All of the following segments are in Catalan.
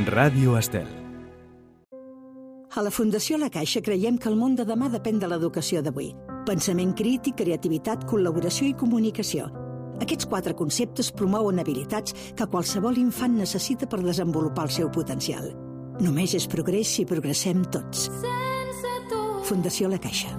Ràdio Estel. A la Fundació La Caixa creiem que el món de demà depèn de l'educació d'avui. Pensament crític, creativitat, col·laboració i comunicació. Aquests 4 conceptes promouen habilitats que qualsevol infant necessita per desenvolupar el seu potencial. Només és progrés si progressem tots. Fundació La Caixa.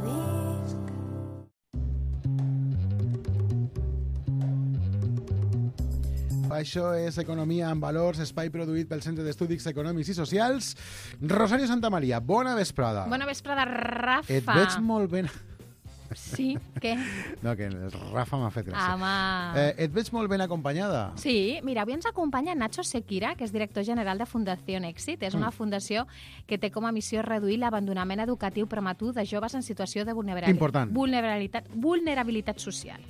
Això és Economia amb Valors, espai produït pel Centre d'Estudis Econòmics i Socials. Rosario Santamaria, bona vesprada. Bona vesprada, Rafa. Et veig molt ben... Sí, què? No, que el Rafa m'ha fet gràcia. Home... Et veig molt ben acompanyada. Sí, mira, avui ens acompanya Nacho Sequira, que és director general de Fundació Èxit. És una fundació que té com a missió reduir l'abandonament educatiu prematur de joves en situació de vulnerabilitat social.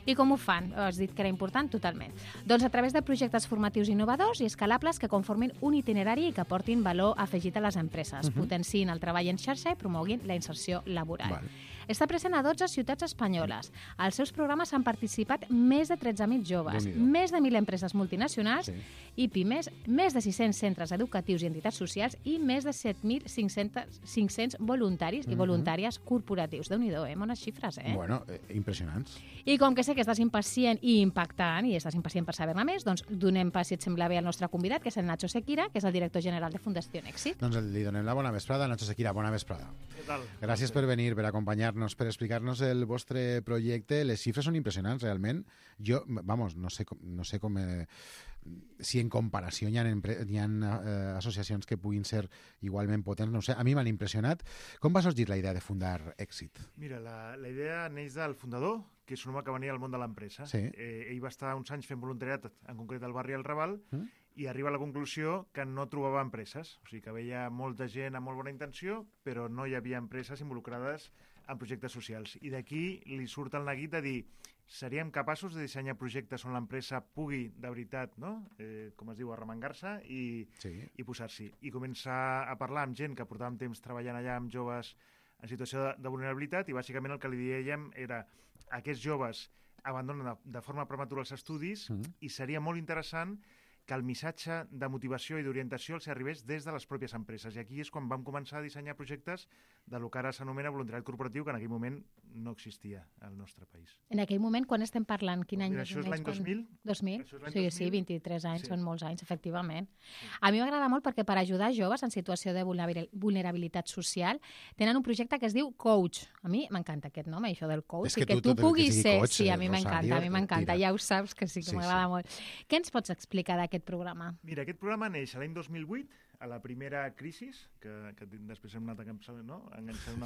I com ho fan? Has dit que era important? Totalment. Doncs a través de projectes formatius innovadors i escalables que conformin un itinerari i que aportin valor afegit a les empreses, potenciïn el treball en xarxa i promoguin la inserció laboral. Està present a 12 ciutats espanyoles. Als seus programes han participat més de 13.000 joves, més de 1.000 empreses multinacionals i pimes, més de 600 centres educatius i entitats socials i més de 7.500 voluntaris i voluntàries corporatius. Déu-n'hi-do, bones xifres, Bueno, impressionants. I com que sé que estàs impacient i impactant i estàs impacient per saber-ne més, doncs donem pas, si et sembla bé, al nostre convidat, que és el Nacho Sequira, que és el director general de Fundació Èxit. Doncs li donem la bona vesprada. Nacho Sequira, bona vesprada. Què tal? Gràcies per venir, per acompanyar-nos, per explicar-nos el vostre projecte. Les xifres són impressionants, realment. Jo, no sé com... si en comparació hi ha associacions que puguin ser igualment potents, no ho sé. A mi m'han impressionat. Com va sorgir la idea de fundar Èxit? Mira, la idea neix del fundador, que és un home que venia del món de l'empresa. Sí. Ell va estar uns anys fent voluntariat, en concret al barri El Raval, i arriba a la conclusió que no trobava empreses. O sigui, que veia molta gent amb molt bona intenció, però no hi havia empreses involucrades en projectes socials. I d'aquí li surt el neguit de dir seríem capaços de dissenyar projectes on l'empresa pugui, de veritat, no? Com es diu, arremangar-se i posar-s'hi. I començar a parlar amb gent que portàvem temps treballant allà amb joves en situació de vulnerabilitat i bàsicament el que li dèiem era aquests joves abandonen de forma prematura els estudis i seria molt interessant que el missatge de motivació i d'orientació els arribés des de les pròpies empreses. I aquí és quan vam començar a dissenyar projectes de lo que ara s'anomena voluntariat corporatiu, que en aquell moment no existia al nostre país. En aquell moment, quan estem parlant? Quin any? Això és l'any 2000. 2000? Sí, 23 anys, són molts anys, efectivament. A mi m'agrada molt perquè per ajudar joves en situació de vulnerabilitat social tenen un projecte que es diu Coach. A mi m'encanta aquest nom, això del coach. És que tu puguis ser... Coach, sí, a mi m'encanta, ja ho saps, que sí que m'agrada molt. Què ens pots explicar d'aquest programa? Mira, aquest programa neix l'any 2008, a la primera crisi, que després hem anat enganxant una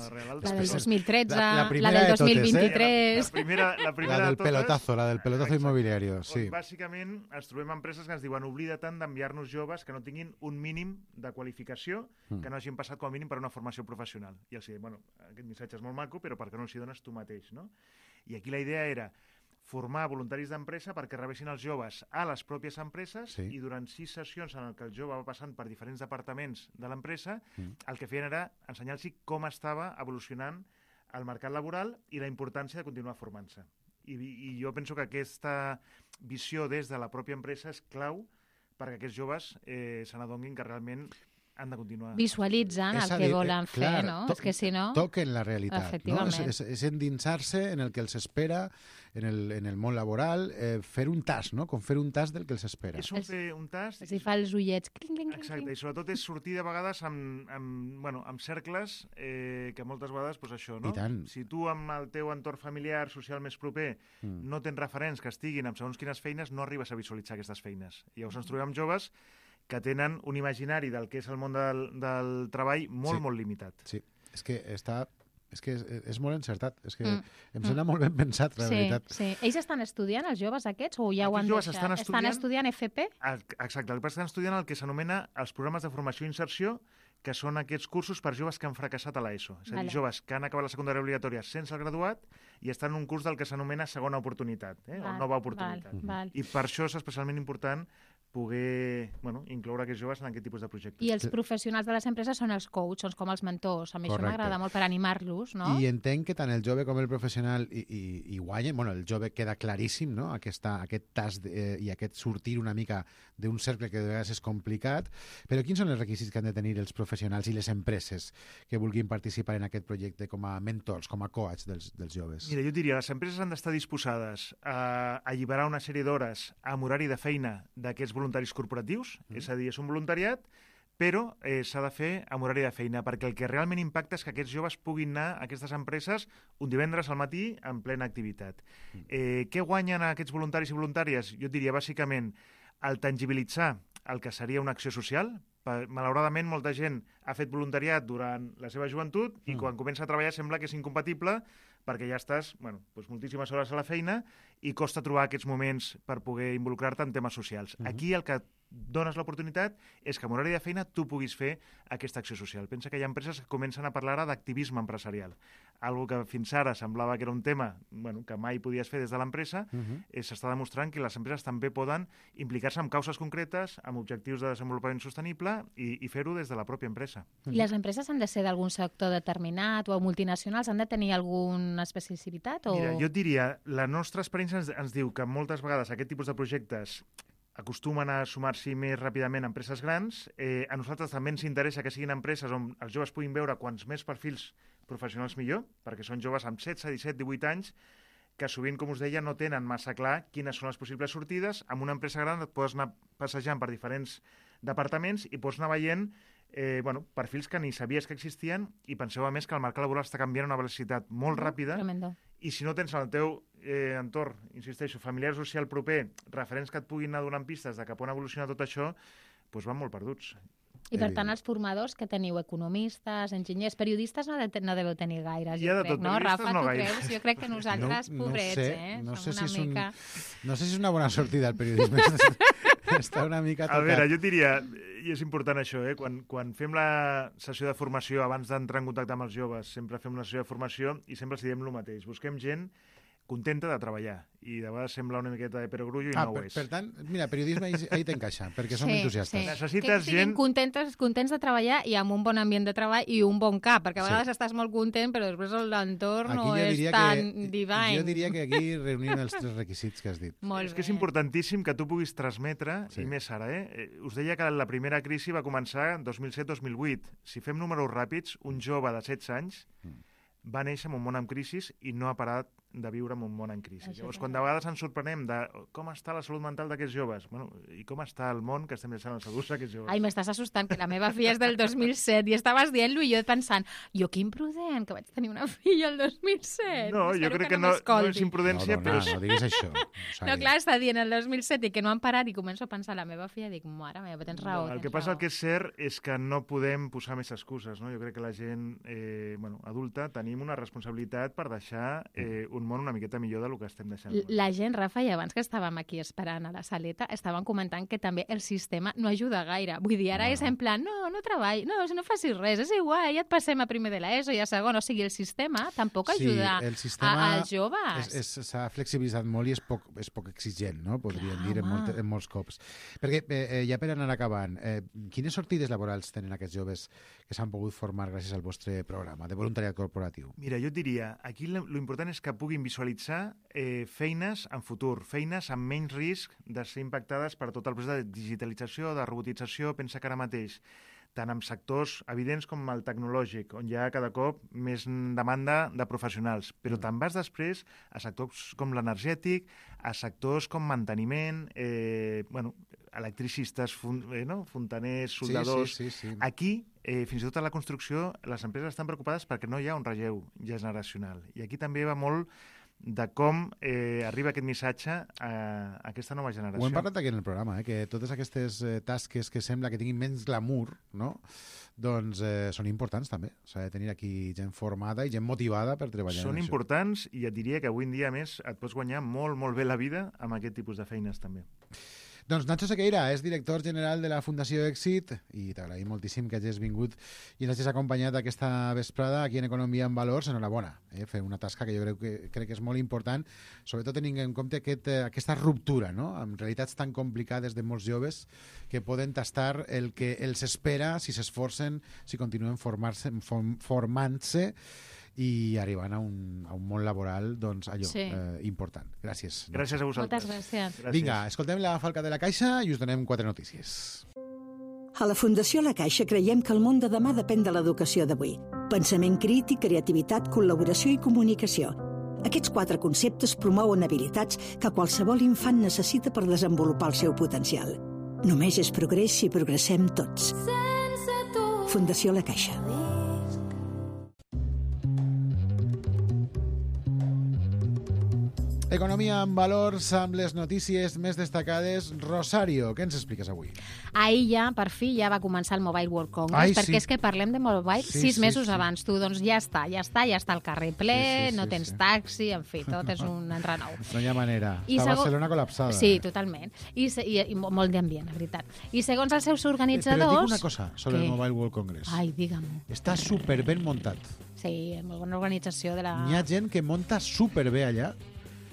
darrere l'altra. La del 2013, la del 2023... La primera del de totes. La del pelotazo immobiliario, sí. Bàsicament, ens trobem empreses que ens diuen oblida tant d'enviar-nos joves que no tinguin un mínim de qualificació, que no hagin passat com a mínim per una formació professional. I els diem, aquest missatge és molt maco, però per què no els hi dones tu mateix, no? I aquí la idea era formar voluntaris d'empresa perquè rebessin els joves a les pròpies empreses i durant 6 sessions en què el jove va passant per diferents departaments de l'empresa, el que feien era ensenyar-los com estava evolucionant el mercat laboral i la importància de continuar formant-se. I jo penso que aquesta visió des de la pròpia empresa és clau perquè aquests joves se n'adonin que realment han de continuar. Visualitzen el que volen fer, no? És que si no... Toquen la realitat, no? Efectivament. És endinsar-se en el que els espera en el món laboral, fer un tast, no? Com fer un tast del que els espera. És fer un tast... Si fa els ullets... Exacte, i sobretot és sortir de vegades amb cercles que moltes vegades, doncs això, no? I tant. Si tu amb el teu entorn familiar, social més proper, no tens referents que estiguin amb segons quines feines, no arribes a visualitzar aquestes feines. I llavors ens trobem amb joves que tenen un imaginari del que és el món del treball molt limitat. Sí, és que és molt encertat. És que em sembla molt ben pensat, la veritat. Sí. Ells estan estudiant, els joves aquests, o ja ho han deixat? Estan estudiant FP? Exacte, estan estudiant el que s'anomena els programes de formació i inserció, que són aquests cursos per joves que han fracassat a l'ESO. És a dir, joves que han acabat la secundària obligatòria sense el graduat i estan en un curs del que s'anomena segona oportunitat, o nova oportunitat. I per això és especialment important poder incloure aquests joves en aquest tipus de projectes. I els professionals de les empreses són els coaches, són com els mentors. A mi això m'agrada molt per animar-los, no? I entenc que tant el jove com el professional hi guanyen. Bueno, el jove queda claríssim, no? Aquest tast i aquest sortir una mica d'un cercle que de vegades és complicat. Però quins són els requisits que han de tenir els professionals i les empreses que vulguin participar en aquest projecte com a mentors, com a coach dels joves? Mira, jo diria, les empreses han d'estar disposades a alliberar una sèrie d'hores amb horari de feina d'aquests voluntaris corporatius, és a dir, és un voluntariat, però s'ha de fer amb horari de feina, perquè el que realment impacta és que aquests joves puguin anar a aquestes empreses un divendres al matí en plena activitat. Què guanyen aquests voluntaris i voluntàries? Jo diria, bàsicament, el tangibilitzar el que seria una acció social. Malauradament, molta gent ha fet voluntariat durant la seva joventut i quan comença a treballar sembla que és incompatible perquè ja estàs moltíssimes hores a la feina i costa trobar aquests moments per poder involucrar-te en temes socials. Aquí el que dones l'oportunitat és que amb horari de feina tu puguis fer aquesta acció social. Pensa que hi ha empreses que comencen a parlar ara d'activisme empresarial. Algo que fins ara semblava que era un tema que mai podies fer des de l'empresa, s'està demostrant que les empreses també poden implicar-se en causes concretes, amb objectius de desenvolupament sostenible i fer-ho des de la pròpia empresa. I les empreses han de ser d'algun sector determinat o multinacionals? Han de tenir alguna especificitat? Mira, jo et diria, la nostra experiència ens diu que moltes vegades aquest tipus de projectes acostumen a sumar-s'hi més ràpidament a empreses grans. A nosaltres també ens interessa que siguin empreses on els joves puguin veure quants més perfils professionals millor, perquè són joves amb 16, 17, 18 anys que sovint, com us deia, no tenen massa clar quines són les possibles sortides. Amb una empresa gran et pots anar passejant per diferents departaments i pots anar veient perfils que ni sabies que existien i penseu, a més, que el mercat laboral està canviant a una velocitat molt ràpida. Tremendo. I si no tens en el teu entorn, insisteixo, familiar social proper, referents que et puguin anar donant pistes de cap on evoluciona tot això, doncs van molt perduts. I per tant, els formadors que teniu, economistes, enginyers, periodistes, no deveu tenir gaires, jo crec, no? Rafa, tu creus? Jo crec que nosaltres, pobrets, no sé si és una bona sortida el periodisme. Està una mica tocat. A veure, jo diria, i és important això, quan fem la sessió de formació, abans d'entrar en contacte amb els joves, sempre fem una sessió de formació i sempre els diem el mateix. Busquem gent contenta de treballar i de vegades sembla una miqueta de perogrullo i no ho és. Per tant, mira, periodisme ahí t'encaixa, perquè som entusiastes. Sí. Necessites gent... contents de treballar i amb un bon ambient de treball i un bon cap, perquè a vegades estàs molt content, però després l'entorn no és tan divine. Jo diria que aquí reunim els tres requisits que has dit. És que és importantíssim que tu puguis transmetre, i més ara, us deia que la primera crisi va començar en 2007-2008. Si fem números ràpids, un jove de 16 anys va néixer en un món en crisi i no ha parat de viure en un món en crisi. Llavors, quan de vegades ens sorprenem de com està la salut mental d'aquests joves, i com està el món que estem deixant els adults aquests joves. Ai, m'estàs assustant, que la meva filla és del 2007 i estaves dient-lo i jo pensant, jo que imprudent, que vaig tenir una filla el 2007. No, jo crec que no és imprudència, però... No diguis això. No, clar, està dient el 2007 i que no han parat i començo a pensar la meva filla i dic, mare meva, tens raó. El que passa, el que és cert, és que no podem posar més excuses, no? Jo crec que la gent adulta tenim una responsabilitat per deixar un món una miqueta millor del que estem deixant. La gent, Rafa, i abans que estàvem aquí esperant a la saleta, estaven comentant que també el sistema no ajuda gaire. Vull dir, ara és en plan, no treballi, no facis res, és igual, ja et passem a primer de l'ESO i a segon. O sigui, el sistema tampoc ajuda als joves. S'ha flexibilitzat molt i és poc exigent, no? Podríem dir en molts cops. Perquè, ja per anar acabant, quines sortides laborals tenen aquests joves que s'han pogut formar gràcies al vostre programa de voluntariat corporatiu? Mira, jo et diria, aquí l'important és que puguin visualitzar feines en futur, feines amb menys risc de ser impactades per tot el procés de digitalització, de robotització. Pensa que ara mateix, tant en sectors evidents com el tecnològic, on hi ha cada cop més demanda de professionals, però te'n vas després a sectors com l'energètic, a sectors com manteniment, electricistes, fontaners, soldadors... Sí. Aquí, fins i tot a la construcció, les empreses estan preocupades perquè no hi ha un relleu generacional. I aquí també va molt de com arriba aquest missatge a aquesta nova generació. Ho hem parlat aquí en el programa, que totes aquestes tasques que sembla que tinguin menys glamour, no? Doncs són importants també. S'ha de tenir aquí gent formada i gent motivada per treballar. Són importants i et diria que avui en dia, més, et pots guanyar molt, molt bé la vida amb aquest tipus de feines també. Doncs Nacho Sequeira és director general de la Fundació Èxit i t'agraïm moltíssim que hagis vingut i ens hagis acompanyat aquesta vesprada aquí en Economia en Valors. Enhorabona, fer una tasca que jo crec que és molt important, sobretot tenint en compte aquesta ruptura, no?, amb realitats tan complicades de molts joves que poden tastar el que els espera si s'esforcen, si continuen formant-se i arribant a un món laboral, doncs, allò, important. Gràcies. Gràcies a vosaltres. Moltes gràcies. Vinga, escoltem la Falca de la Caixa i us donem 4 notícies. A la Fundació La Caixa creiem que el món de demà depèn de l'educació d'avui. Pensament crític, creativitat, col·laboració i comunicació. Aquests 4 conceptes promouen habilitats que qualsevol infant necessita per desenvolupar el seu potencial. Només és progrés si progressem tots. Fundació La Caixa. Economia en valors amb les notícies més destacades. Rosario, què ens expliques avui? Ahir ja, per fi, ja va començar el Mobile World Congress, perquè és que parlem de mobile 6 mesos abans. Tu, doncs ja està al carrer ple, no tens taxi, en fi, tot és un enrenou. No hi ha manera. Està Barcelona col·lapsada. Sí, totalment. I molt d'ambient, la veritat. I segons els seus organitzadors... Però dic una cosa sobre el Mobile World Congress. Ai, digue'm. Està superben muntat. Sí, molt bona organització de la... Hi ha gent que munta superbé allà.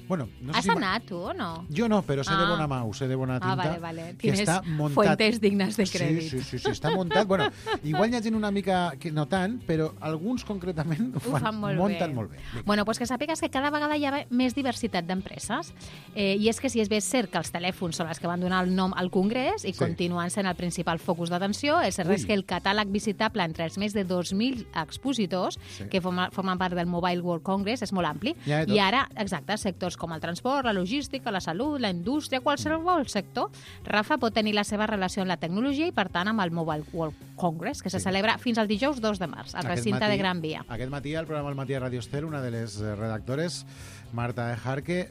Bueno, no sé Has anat, tu, o no? Jo no, però sé de bona mà, sé de bona tinta. Vale. Que està muntat. Fuentes dignes de crèdit. Sí, està muntat. Bueno, igual hi ha gent una mica que no tant, però alguns concretament ho fan munten molt bé. Bueno, pues que sàpigues que cada vegada hi ha més diversitat d'empreses. I és que si és bé cert que els telèfons són els que van donar el nom al Congrés i continuen sent el principal focus d'atenció, és cert que el catàleg visitable entre els més de 2.000 expositors que formen part del Mobile World Congress és molt ampli. I ara, exacte, sectors com el transport, la logística, la salut, la indústria, qualsevol sector, Rafa pot tenir la seva relació amb la tecnologia i, per tant, amb el Mobile World Congress, que se celebra fins al dijous 2 de març, al recinte de Gran Via. Aquest matí, al programa El Matí a Radio Estel, una de les redactores, Marta Ejarque,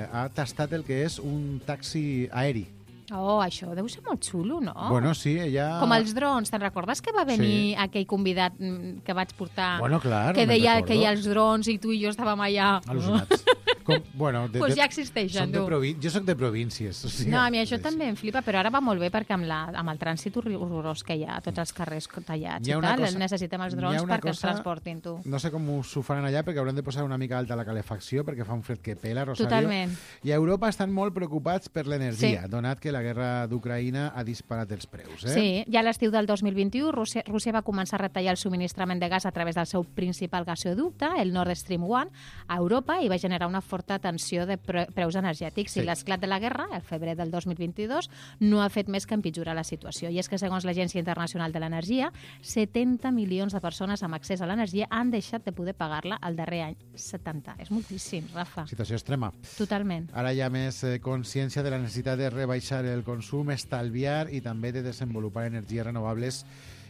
ha tastat el que és un taxi aeri. Oh, això deu ser molt xulo, no? Bueno, sí, ella... Com els drons, te'n recordes que va venir aquell convidat que vaig portar? Bueno, clar, que deia que hi ha els drons i tu i jo estàvem allà... Al·lucinats. Pues ja existeixen, tu. Jo soc de províncies. O sigui, no, a mi això també em flipa, però ara va molt bé perquè amb el trànsit horrorós que hi ha, tots els carrers tallats i tal, necessitem els drons perquè ens transportin, tu. No sé com s'ho faran allà, perquè hauran de posar una mica alta la calefacció, perquè fa un fred que pela, Rosario. Totalment. I a Europa estan molt preocupats per l'energia, donat que la guerra d'Ucraïna ha disparat els preus. Sí, ja a l'estiu del 2021, Rússia va començar a retallar el subministrament de gas a través del seu principal gasoducte, el Nord Stream 1, a Europa, i va generar una forta tensió de preus energètics. I l'esclat de la guerra, el febrer del 2022, no ha fet més que empitjorar la situació. I és que, segons l'Agència Internacional de l'Energia, 70 milions de persones amb accés a l'energia han deixat de poder pagar-la el darrer any. 70. És moltíssim, Rafa. Situació extrema. Totalment. Ara hi ha més consciència de la necessitat de rebaixar el consum, estalviar i també de desenvolupar energies renovables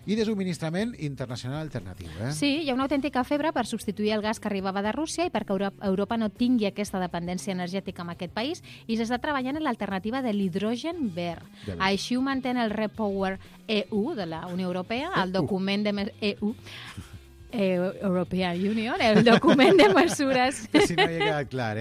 i de subministrament internacional alternatiu. Sí, hi ha una autèntica febre per substituir el gas que arribava de Rússia i perquè Europa no tingui aquesta dependència energètica en aquest país, i s'està treballant en l'alternativa de l'hidrogen verd. Així ho mantén el REPower EU de la Unió Europea, el document de European Union, el document de mesures... Si no hi ha quedat clar,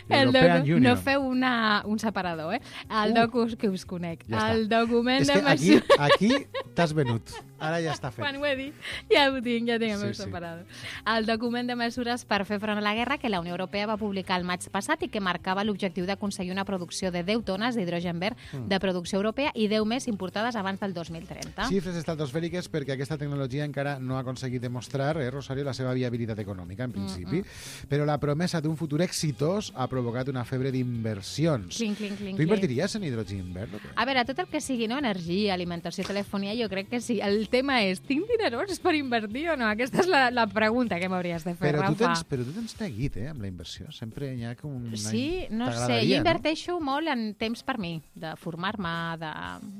European Union. No feu un separador, El que us conec. Ja el document de mesures... Aquí t'has venut. Ara ja està fet. Quan ho he dit, ja ho tinc, ja tinc el meu separador. El document de mesures per fer front a la guerra que la Unió Europea va publicar el maig passat i que marcava l'objectiu d'aconseguir una producció de 10 tones d'hidrogen verd de producció europea i 10 més importades abans del 2030. Xifres estratosfèriques perquè aquesta tecnologia encara no ha aconseguit demostrar, Rosario, la seva viabilitat econòmica, en principi, però la promesa d'un futur exitós ha provocat una febre d'inversions. Tu invertiries en hidrogen verd? A veure, tot el que sigui energia, alimentació, telefonia, jo crec que sí. El tema és, tinc dinerons per invertir o no? Aquesta és la pregunta que m'hauries de fer, Rafa. Però tu tens neguit, amb la inversió. Sempre hi ha com un... Sí, no sé. Jo inverteixo molt en temps per mi, de formar-me, de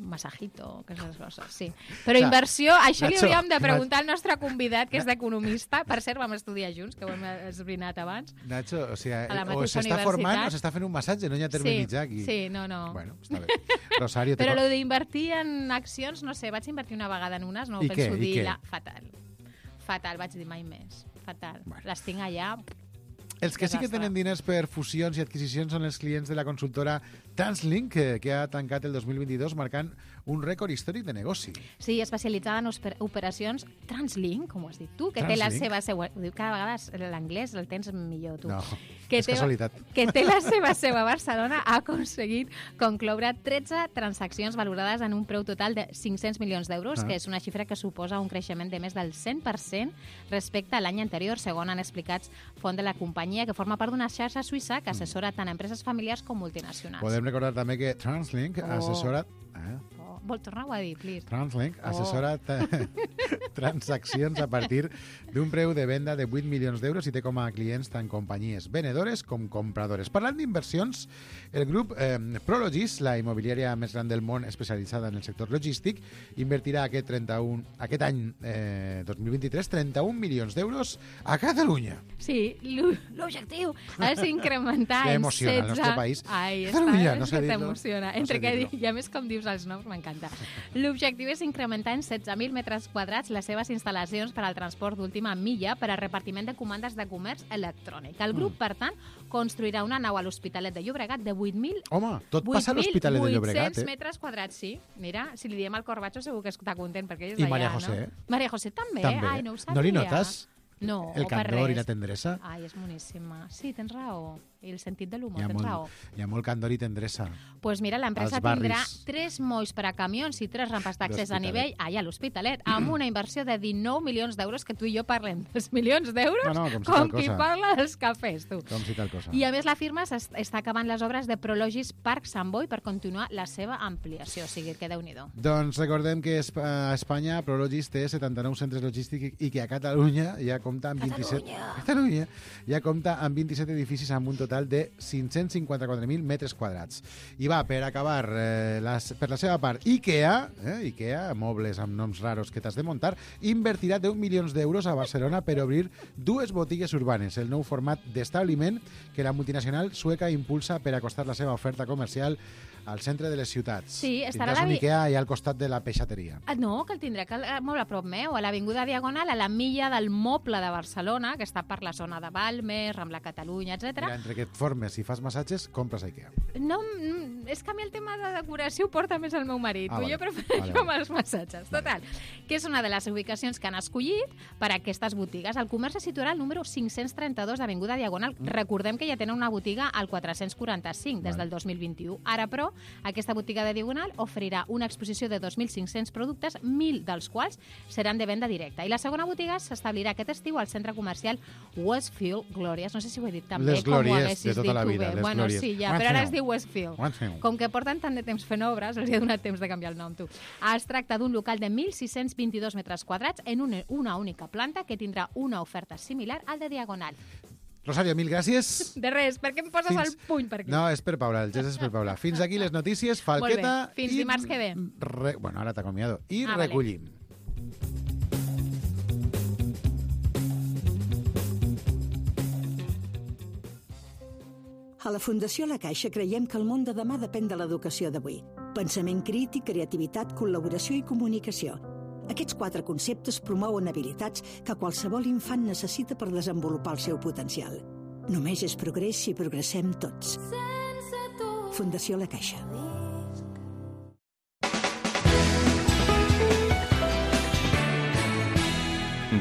massajito, aquestes coses, sí. Però inversió, això li hauríem de preguntar al nostre convidat, que és d'economista. Per cert, vam estudiar junts, que ho hem esbrinat abans. Nacho, o s'està formant o s'està fent un massatge, no hi ha terme mitjà aquí. Sí, no. Bueno, està bé. Rosario, però lo d'invertir en accions, no sé, vaig invertir una vegada en unes, no ho penso dir. Fatal, vaig dir mai més. Fatal. Les tinc allà... Els que sí que tenen diners per fusions i adquisicions són els clients de la consultora Translink, que ha tancat el 2022 marcant un rècord històric de negoci. Sí, especialitzada en operacions Translink, com ho has dit tu, que té la seva seu... Cada vegada l'anglès el tens millor, tu. No, que és casualitat. Que té la seva seu a Barcelona, ha aconseguit concloure 13 transaccions valorades en un preu total de 500 milions d'euros, que és una xifra que suposa un creixement de més del 100% respecte a l'any anterior, segons han explicat font de la companyia, que forma part d'una xarxa suïssa que assessora tant empreses familiars com multinacionals. Podem recordar també que Translink assessora... Vol tornar-ho a dir, please. Translink assessora transaccions a partir d'un preu de venda de 8 milions d'euros i té com a clients tant companyies venedores com compradores. Parlant d'inversions, el grup Prologis, la immobiliària més gran del món especialitzada en el sector logístic, invertirà aquest any 2023 31 milions d'euros a Catalunya. Sí, l'objectiu és incrementar en 16... emociona el nostre país. Ai, Catalunya, no sé dir-lo. T'emociona. Entre que i a més com dius els noms, m'encanta. L'objectiu és incrementar en 16.000 metres quadrats les seves instal·lacions per al transport d'última milla per a repartiment de comandes de comerç electrònic. El grup, per tant, construirà una nau a l'Hospitalet de Llobregat de 8.000... Home, tot passa a l'Hospitalet de Llobregat, 800 metres quadrats, sí. Mira, si li diem al Corbacho segur que està content, perquè ell és I d'allà, Maria José. No? Maria José també? Ai, no ho sabia. No li notes? No, el candor i la tendresa? Ai, és boníssima. Sí, tens raó. I el sentit de l'humor, tens raó. Hi ha molt candor i tendresa. Doncs pues mira, l'empresa tindrà 3 molls per a camions i 3 rampes d'accés a nivell allà a l'Hospitalet, amb una inversió de 19 milions d'euros, que tu i jo parlem dels milions d'euros, com qui parla dels cafès, tu. Com si tal cosa. I a més la firma està acabant les obres de Prologis Park Sant Boi per continuar la seva ampliació, o sigui que Déu-n'hi-do. Doncs recordem que a Espanya Prologis té 79 centres logístics i que a Catalunya ja compta amb 27 edificis amb un total de 554.000 metres quadrats. I va, per acabar, per la seva part, IKEA, mobles amb noms raros que t'has de muntar, invertirà 10 milions d'euros a Barcelona per obrir 2 botigues urbanes, el nou format d'establiment que la multinacional sueca impulsa per acostar la seva oferta comercial al centre de les ciutats. Sí, estarà un IKEA allà al costat de la peixateria. No, que el tindrà molt a prop meu, a l'Avinguda Diagonal, a la milla del Moble de Barcelona, que està per la zona de Balmes, Rambla Catalunya, etc. Mira, entre que et formes i fas massatges, compres a IKEA. No, és que a mi el tema de decoració ho porta més el meu marit. Jo prefereixo amb els massatges. Total, que és una de les ubicacions que han escollit per a aquestes botigues. El comerç se situarà al número 532 d'Avinguda Diagonal. Recordem que ja tenen una botiga al 445 des del 2021. Ara, però, aquesta botiga de Diagonal oferirà una exposició de 2.500 productes, 1.000 dels quals seran de venda directa. I la segona botiga s'establirà aquest estiu al centre comercial Westfield Glòries. No sé si ho he dit tan bé com ho haguessis dit tu bé. Bueno, sí, ja, però ara es diu Westfield. Com que porten tant de temps fent obres, els ha donat temps de canviar el nom, tu. Es tracta d'un local de 1.622 metres quadrats en una única planta que tindrà una oferta similar al de Diagonal. Rosario, mil gràcies. De res, per què em poses el puny per aquí? No, és per Paula, el gest és per Paula. Fins aquí les notícies, Falqueta... Molt bé, fins dimarts que ve. Bueno, ara t'acomiado. I recollim. A la Fundació La Caixa creiem que el món de demà depèn de l'educació d'avui. Pensament crític, creativitat, col·laboració i comunicació. Aquests 4 conceptes promouen habilitats que qualsevol infant necessita per desenvolupar el seu potencial. Només és progrés si progressem tots. Fundació La Caixa.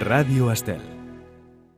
Ràdio Estel.